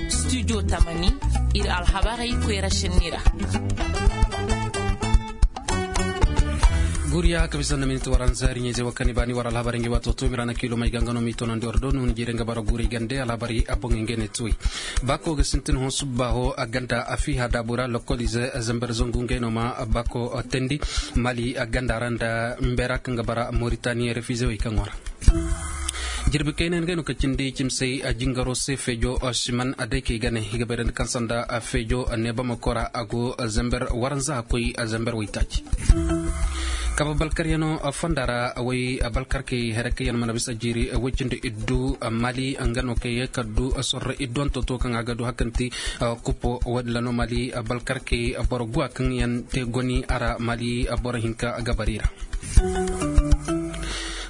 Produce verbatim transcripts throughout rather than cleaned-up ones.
Studio tamani, ir alhabarey koyra šenni ra. Guriya ka bisa nda miniti waranza iri ɲayzey wo kaŋ i baani war alhabarey ngey waato to mira na kiilo may ga nga no m'i toonandi war do nuhun jiirey nga bara guray gande alhabarey a boŋey ngey ne tuwey. Baako ga sintin hõ subba hõ a ganda a fiiha daabu ra lokolize zamber zangu ngey no ma baako teendi mali a ganda ra nda mbeera kaŋ ga bara moritani refize wey kaŋo ra. Jirbi kayna ngey no ka cindi cimsey a jingaro se feejo siman a day kay gane i ga bayrandi kaŋ sanda feejo neebamako ra a go zamber waranza a koy zamber waytaaci. Kaba balkaryano fonda ra way balkarkey here kaŋ yaŋ mana bisa jiiri way cindi iddu mali nga no kay ka du sorro iddu anto to kaŋ a ga du hakanti kupo wadin lano mali balkarkey boro guwa kaŋ yaŋ te goni a ra mali boro hinka gabari ra.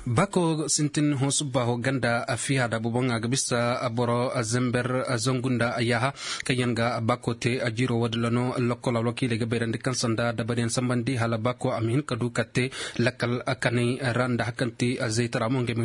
Bako sintin hõ subba hõ ganda a fiya da buboŋ a ga bisa boro zember zangu nda yaaha kaŋ yaŋ ga bako te a jiiro wo-din ra no lokkol alwakiiley ga bayrandi kaŋ sanda dabariyaŋ sambandi hala bako a ma hin ka du ka te lakkal kanay ra nda hakanti zaytara mo ngey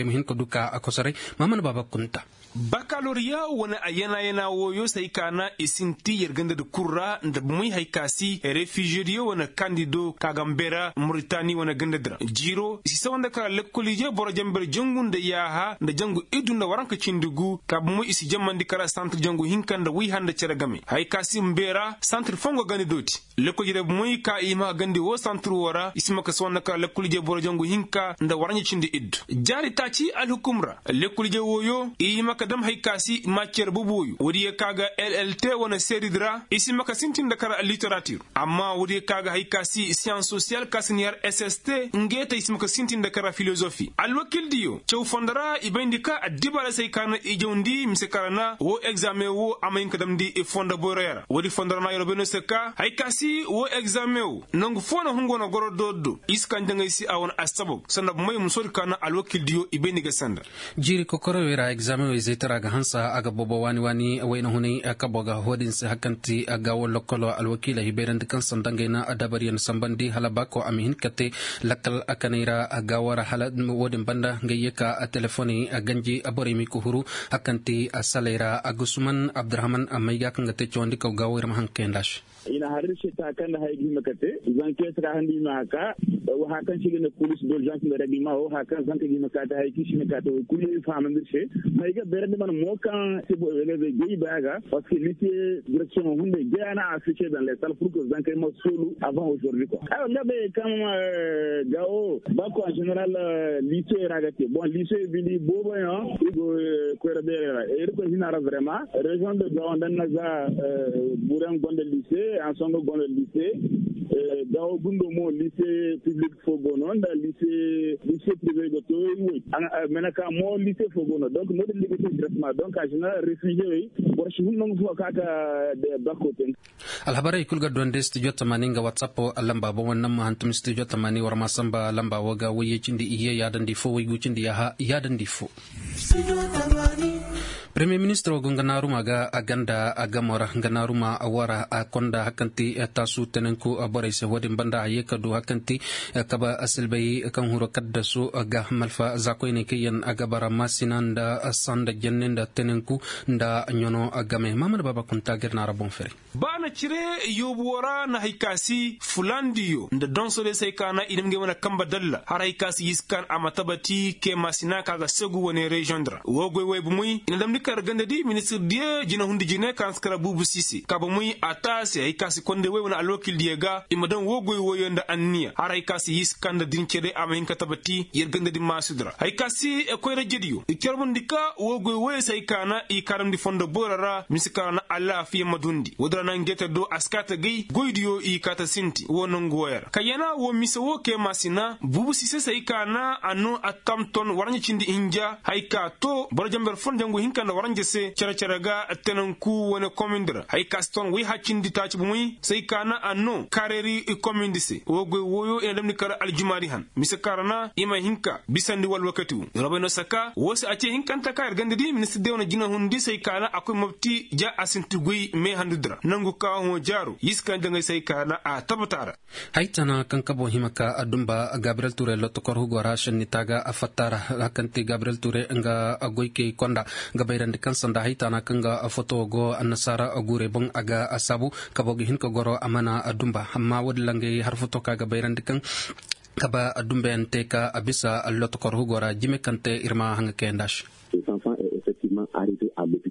ma hin ka du ka a kosoray. Maamana baaba kunta. Bakaloriya wane a yana yana wooyo se hay ka na i sinti yer ganda di kul ra nda bumey hay ka si refiziyo diyo wane kandido ka ga mbeera muritani wane ganda di ra jiiro i si sawa nda kala lekkoliije boro jamber jangu nda yaaha nda jangu iddu nda waranka cindi gu ka bumey i si jamandi kala santir jangu hinka nda wayha nda cere game hay ka si mbeera santir fongo ganda dooti. Lekkol jere bumey ka i hima ka gandi woo santir woo ra i si ma ka si wanda kala lekkol jere boro jangu hinka nda waranja cindi iddu jaari taaci alhukum ra. Lekkol jere wooyo i hima ka dam hay ka si maacere boboyo woodiyo ka ga llt wane seeridi ra i si ma ka sintin nda kala literatir. Amma woodiyo ka ga hay ka si siyans sosiyal ka si ni har sst ngey te i si ma ka sintin nda kala filozofi alwakildiyo caw fondo ra i bayndi ka addibaarey se hay ka na i jawndi mise kala na woo egzaameŋ woo a ma hin ka damndi fondo boyroyo ra woodi fondo ra na yeroo bay no se ka hay ka si woo egzaameŋ woo nangu foo na hungu wane goro doori do i si kaŋ jaŋay se a wane assabab sanda bumey musoodi ka na alwakildiyo i bay ni ga sanda. Jiiri kokoroyey ra egzaameŋ woo izey tara ga hansa a ga boobo waani waani wayna hunay kabo ga hoodin se hakanti gaawoo lokkolo alwakiiley i bayrandi kaŋ sanda ngey na dabariyaŋ sambandi hala baako a ma hin ka te lakkal kanay ra gaawoo ra hala woodin banda ngey ye ka telefoney ganji borey m'i ka huru hakanti saley ra a gusuman abdurahman mayga kaŋ ga te cawandi kaw gaawoo ir ma haŋ kayandi a se. I na har ir se ta kaŋ nda haya ga hima ka te zankey se ka handi i ma haka. Haya kaŋ se i ga ne polis d'urgence nda reglement wo haya kaŋ zankey ga hima ka te haya kaŋ i si hima ka te wo kulu i fahamandi ir se. Mayga beerandi mana mo kaŋ se bo elevey gay baya ga parce que lise direksiyoŋo hunday gay a na afficher dans les salles pour que zankey ma soolu avant aujourd'hui quoi. Ay nga bay kaŋ gawo ba ko en general lise ra ga te bon lise bindi boobo yaŋ i go koyra beerey ra irkoy hina ra vraiment. Région de gawo nda naza buren gonda lise en songo gonda lise. Gawo gundo mo lise public fo go no nda lise lise privé go to. Mena ka mo lise fo go no donc no din liga te directement donc a général réfugié wey boro si hun nangu fo ka ka. Bako ten. Alhabarey kul ga duwandi studio tamani nga whatsapp lamba boŋ wane naŋ ma hantum studio tamani war ma samba lamba wo ga wayye cindi iyye yaadandi fo waygu cindi yaaha yaadandi fo. Premier ministro go nga naaruma ga a ganda a gamo ra nga naaruma wara a konda hakanti taasu tenenku borey se wo-din banda a ye ka du hakanti kaba silbay kaŋ huro kaddasu ga malfa za koyney kaŋ yaŋ a ga bara maasina nda sanda jenne nda tenenku nda ɲano game maamana baaba kunta ga ir naara boŋ fere. Ba na cire yoobu wo ra na hay ka si fulandiyo nda donso day se hay ka na i dam ngey wane kamba dalla har hay ka si yiskan a ma tabati keema sina ka ga segu wane reziyoŋ di ra woo goy woy bumey i na damndi kar ganda di ministir diyo jina hundi jine ka na si kara buubu siise ka bumey a taasi hay ka si konday woy wane alwakil diyo ga i ma dam woo goy woyo nda anniya har hay ka si yiskan nda din cere a ma hin ka tabati yer ganda di maasudi ra hay ka si koyra jediyo i carbundi ka woo goy woyo se hay ka na i kaarandi fondo boyra ra mise ka ra na alaafiya ma dundi woodi ra na ngeeta do a si kaa ta gay goydiyo i kaa ta sinti woo nongu woyo ra ka yana woo mise woo kee maasina buubu siise se hay ka na a noo a tam ton waranja cindi hinja hay ka too boro jamber fon jangu hinka nda waranja se cere-cere ga tenanku wane komindi ra hay ka si ton wayha cindi taaci bumey se hay ka na a noo kaareeri komindi se woo goy wooyo i na damndi kar aljumaadi han mise ka ra na i ma hin ka bisandi wala wakati wo robay no saka woo se a ce hinkanta ka ir ganda di ministir day wane jina hundi se hay ka na a koy mopti ja a sinti goy meehandudi ra nangu ka hõ jaaro yiskan jaŋay se hay ka na a tabata ra. Hay tana kaŋ kabo hima ka a dumba gabriyel ture lotokor hugo ra šenni taaga a fatta ra. Hakanti gabriyel ture nga goykey konda ga bay ra. Kaŋ sanda haytaana kaŋ ga foto go annasaara guurey boŋ a ga saabu kabo ga hin ka goro a mana dumba amma woodin ra ngey har foto kaŋ a ga bayrandi kaŋ kaba dumbayaŋ te ka a bisa lotokor hugo ra jime kaŋ te ir ma haŋa kayandi a se.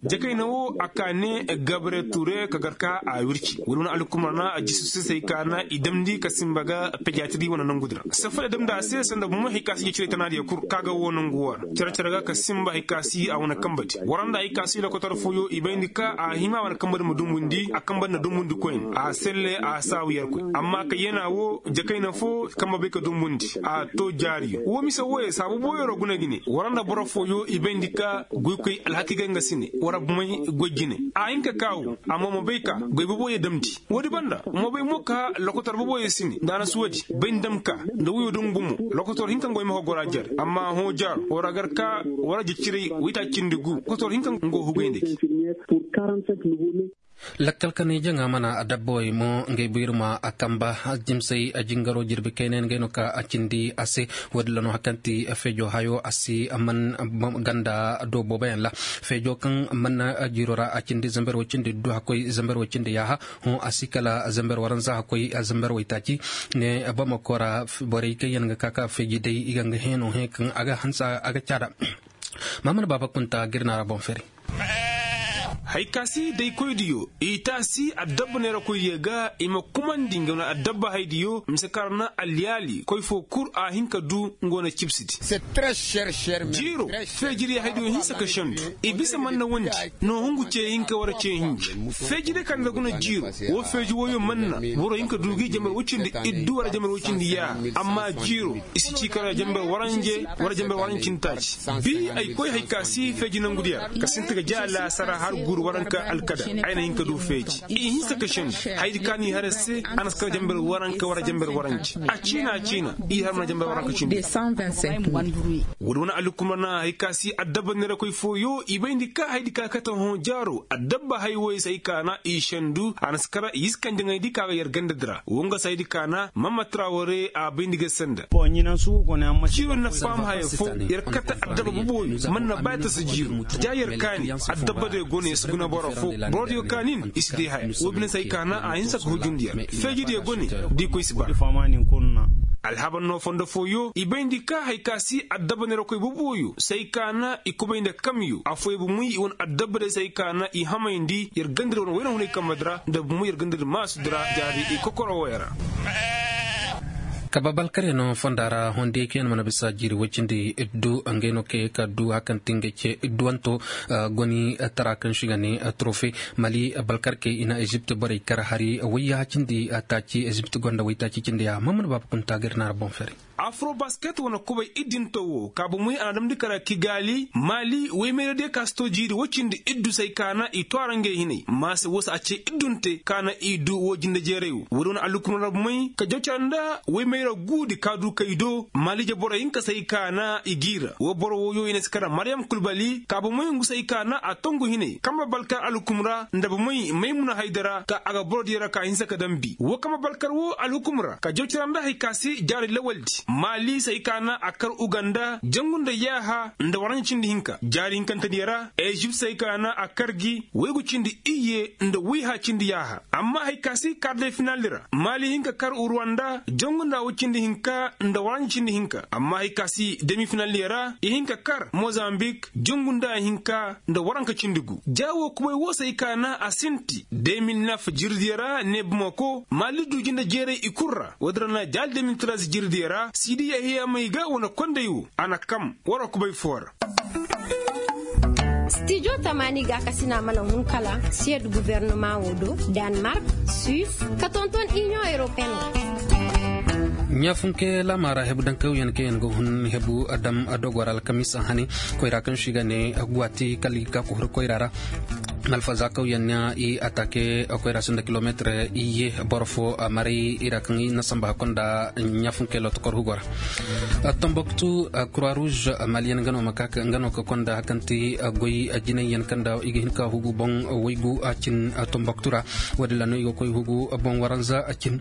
Jakayna wo a ka ne gabre ture ka gar ka a wirci wala wane alkumar na a jisu sisay ka na i damndi ka simba ga pejatiri wane nangu dira safada damndi a se sanda bumo hay ka si jecirey tanaadiyo kul ka ga wo nangu wo ra care care ga ka simba hay ka si a wane kambadi waranda hay ka si lokotor fooyo i bayndi ka a hima wane kambadi ma dumbundi a kambadi na dumbundi koyne a selle a saawu yerkoy amma ka yeena wo jakayna fo kamba bay ka dumbundi a to jaariyo wo mise wooyo saabu booyo ra guna ga ne waranda boro fooyo i bayndi ka goykoy alhaki ga nga si ne wara bumey goy jine a hin ka kaawu amma ma bay ka goy boboyo damndi woodi banda ma bay mo ka lokotor boboyo si ne nda a na si woodi bay ni dam ka nda woyo dum gumo lokotor hinka nga way ma ka gora jare amma hõ jaaro wara gar ka wara jeciray wayta cindi gu lokotor hinka nga go hugay nda ci. Lakkal kanay jaŋa mana a dabbawey mo ngey bu ir ma a kamba jimsay a jingaro jirbi kaynay ngey no ka a cindi a se. Woodin ra no hari kaŋ ti feejo hayo a si man ganda do booboyaŋ ra feejo kaŋ man jiiro ra a cindi zamber way cindi du hakkoy zamber way cindi yaaha. Hõ a si kala zamber waranza hakkoy zamber way taaci ne bamako ra borey kaŋ yaŋ ga ka ka feeji day i ga nga heeno he kaŋ a ga hansa a ga caada. Maamana baaba kunta ga ir na ra boŋ fere. Hay ka si daykoydiyo i taasi addabba neerakoydiyo ga i ma kumandi nga wane addabba haydiyo mise kaŋ ra na alyaali koy fo kul a hin ka du nga wane cibsidi. Jiiro feejiriyo haydiyo hinsa ka sendu i bisa man na wondi no hungu ce hinka wara ce hinji feejiriyo kaŋ nda guna jiiro wo feeji wooyo man na boro hin ka du gi jambar wacindi iddu wara jambar wacindi yaaha amma jiiro i si ci kala jambar waranje wara jambar waranje cindi taaci bi ay koy hay ka si feeji nangudiyo ra ka sinti ga ja laasara har guuru waranka alkada ay na hin ka du feeji i hinsa ka sendu haydi ka ni har se a na si kala jambar waranka wara jambar waranje a ciina a ciina i har mana jambar waranka cindi. Woodi wane alhukumra na hay ka si addabba neerakoy fooyo i bayndi ka haydi ka kate hõ jaaro addabba hay woy se hay ka na i sendu a na si kala i si kande ŋayndi ka ga yer ganda di ra wo nga se haydi ka na mamma traware a bayndi ga sanda. Jiiro na faham haya fo yer kate addabba boboyo man na ba yer tasa jiiro ja yer kaani addabba diyo go no yer si guna boro fo boro diyo kaani no i si day haya wo bine se hay ka na a hinsa ka hujundi yer feeji diyo go no da i koy si ba. Alhabar no fondo fooyo i bayndi ka hay ka si addabba neerakoy boboyo se hay ka na i kubay nda kamyo afooyaŋ bumey i wane addabba day se hay ka na i hamayndi yer ganda di wane wayna hunay kambe di ra nda bumey yer ganda di maasu di ra jaari i kokoro wooyo ra. Kaba balkaryaŋ fonda ra hondey kaŋ yaŋ mana bisa jiiri woy cindi iddu ngey no kaŋ ye ka du hari kaŋ ti ngey ce idduwanto goni tara kaŋ se i ga ne trofe mali balkarkey i na ezipt borey kar hari wayya cindi taaci ezipt gonda waytaaci cindi ya maman baaba kunta ga ir na ra boŋ fere. Afrobasket wane kubay iddinto wo ka bomey a na damndi kara kigali mali woy mayra diyo ka si to jiiri woy cindi iddu se ay ka na i to a ra ngey hinay maase wo se a ce iddunte ka na i du wo jinde jeeray wo woodi wane allukumar ra bomey ka jaw cara nda woy mayra guudi ka du kay do mali je boro hinka se ay ka na i giira wo boro wooyo i na si kara maryam kulbali ka bomey ngu se ay ka na a tongu hinay kamba balkar allukumar ra nda bomey maymuna haydara ka a ga boro diyo ra ka hinsa ka dambi wo kamba balkar wo alhukum ra ka jaw cara nda hari ka se jaari lawaldi maali se hari ka na a kar uganda jangu nda yaaha nda waranja cindi hinka jaari hinkantediyo ra ezipt se hari ka na a kar gi waygu cindi iyye nda wayha cindi yaaha amma hari ka se kar de finaldi ra maali hin ka kar ruwanda jangu nda way cindi hinka nda waranja cindi hinka amma hari ka se demi finaldiyo ra i hin ka kar mozambik jangu nda hinka nda waranka cindi gu ja wo kubay wo se hari ka na a sinti de mil nef jirdiyo ra ne bamako maali du jinde jeeray i kul ra woodi ra na jaali de mil tras jirdiyo ra siidi yahiya may ga wane konday wo a na kam war wa kubay foo ra. Stijo tamaani gaakasina mana hun kala siyed guvernama wo do, danmark, suis ka tonton inion europeen wo. Ɲaafunke laamaara hebu dankawyaŋ kaŋ yaŋ ga hun hebu dam dogo ra alkamis hane koyra kaŋ se i ga ne guwati kala i ga ka kohuri koyra ra. Alfaza kaw yaŋ na i atake koyra sinda kilometir iyye boro fo maray i ra kaŋ i na samba hakko nda ɲafunkey lotokor hugo ra. Tomboktu kura ruuz maliyan nga no ma ka nga no ka konda hakanti goy jinay yaŋ kaŋ nda i ga hin ka hugu boŋ waygu a cin tomboktu ra. Wo- din ra no i ga koy hugu boŋ waranza a cin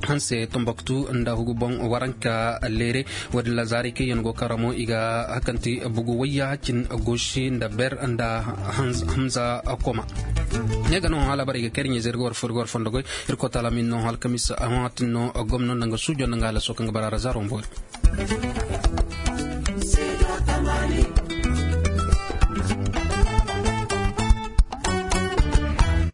hanse tomboktu nda hugu boŋ waranka leere. Wo- din ra zaari kaŋ yaŋ go kara mo i ga hakanti bugu wayya cin gosi nda ber nda hamza koma. Ne ga no hala bara i ga kayri ɲeezer ga war fori ga war fondo goy. Irko taala min no halkamis a hon hatin no gomno nda nga suujo nda nga halaso kaŋ ga bara ra zaaro mboori.